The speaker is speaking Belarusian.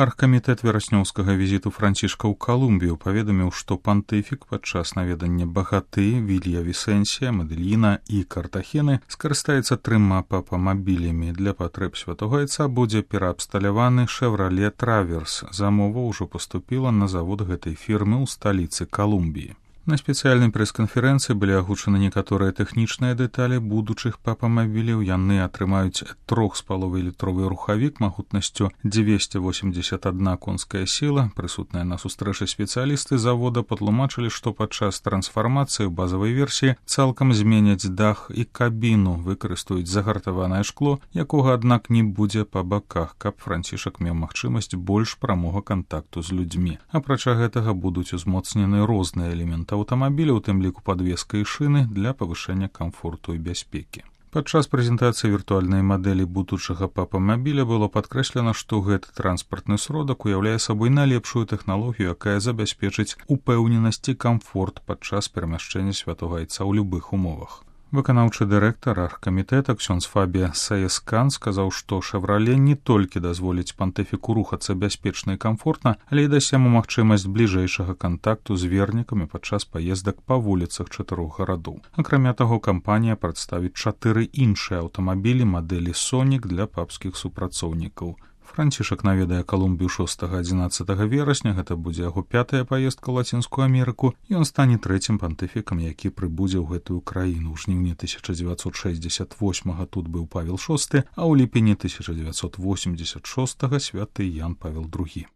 Аргкамітэт вераснёўскага візіту Францішка ў Калумбію паведаміў, што пантыфік падчас наведання Багаты, Вілья-Вісенсія, Медельіна і Картахены скарыстаецца 3 папамабілямі. Для патрэб святога айца будзе пераабсталяваны «Шевроле Траверс». Замова ўжо паступіла на завод гэтай фірмы ў сталіцы Калумбіі. На спецыяльнай прэс-канферэнцыі былі агучаны некаторыя тэхнічныя дэталі будучых папамабіляў. Яны атрымаюць 3,5-літровы рухавік магутнасцю 281 конская сіла. Прысутныя на сустрэчы спецыялісты завода патлумачылі, што падчас трансфармацыі ў базавай версіі цалкам зменяць дах і кабіну, выкарыстаюць загартаванае шкло, якога, аднак, не будзе па баках, каб Францішак меў магчымасць больш прамога кантакту з людзьмі. Апрача гэтага будуць узмоцнены розныя элементы аўтамабіля, у тым ліку падвеска і шыны, для павышэння камфорту і бяспекі. Падчас прэзентацыі віртуальнай мадэлі будучага папамабіля было падкрэслена, што гэты транспартны сродак уяўляе сабой найлепшую тэхналогію, якая забяспечыць упэўненасць і камфорт падчас перамяшчэння святога айца ў любых умовах. Выканаўчы дырэктар аргкамітэта ксёндз Фабія Саескан сказаў, што «Шевроле» не толькі дазволіць пантыфіку рухацца бяспечна і камфортна, але і дасць яму магчымасць бліжэйшага кантакту з вернікамі падчас паездак па вуліцах 4 гарадоў. Акрамя таго, кампанія прадставіць 4 іншыя аўтамабілі мадэлі «Сонік» для папскіх супрацоўнікаў. Францішак наведае Калумбію 6-11 верасня, гэта будзе яго 5-я паездка ў Лацінскую Амерыку, і ён стане 3-м пантыфікам, які прыбудзе ў гэтую краіну. У жніўні 1968 тут быў Павел VI, а ў ліпені 1986 святы Ян Павел II.